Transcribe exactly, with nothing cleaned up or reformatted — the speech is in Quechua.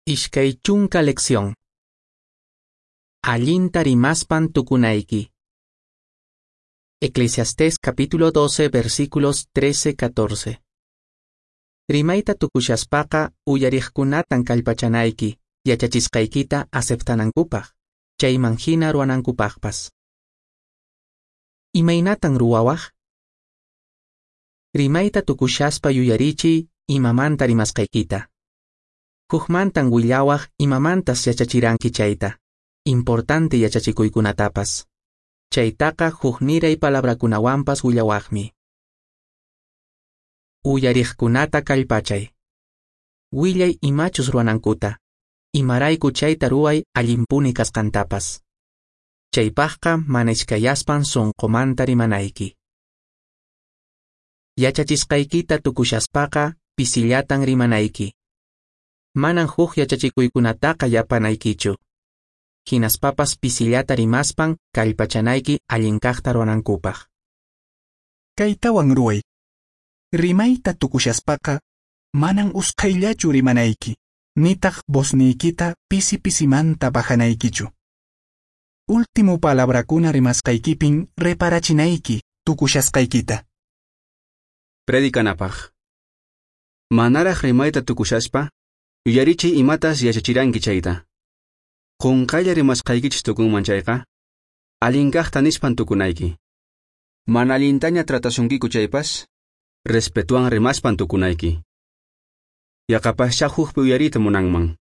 Ishkay chunka lección. Allinta rimaspan tukunayki. Eclesiastés capítulo doce versículos trece catorce. Rimayta tukushaspaqa uyariqkunatan kallpachanayki, yachachisqaykita aceptanankupaq, chayman hina ruwanankupaqpas. Imaynatan ruwawaq? Rimayta tukushaspa yuyarichiy imamanta rimasqaykita. Hukmantan willawaq imamantas yachachiranki chayta, importante yachachikuykunatapas. Chaytaqa hukniray palabrakunawanpas willawaqmi. Uyariqkunata kallpachay. Willay imachus ruwanankuta, imarayku chayta ruway allinpuni kasqantapas. Chaypaqqa mana iskayaspan sunqumanta rimanayki. Yachachisqaykita tukushaspaqa pisillatan rimanayki. Manan huk yachachikuykunataqa yapanaykichu. Hinaspapas pisillata rimaspan kallpachanayki allin kaqta ruwanankupaq. Kaytawan ruway. Rimayta tukushaspaqa manan usqhayllachu rimanayki, nitaq vozniykita pisi pisimanta bajanaykichu. Último palabrakuna rimasqaykipin reparachinayki tukushasqaykita. Predikanapaq. Manaraq rimayta tukushaspa, yuyarichiy imatas yachachiranki chayta. Qunqaylla rimasqaykichis tukunman chayqa, allin kaqta nispan tukunayki. Mana allintaña tratasunkiku chaypas, respetuwan rimaspan tukunayki. Yaqapaschá hukpi uyariyta munanman.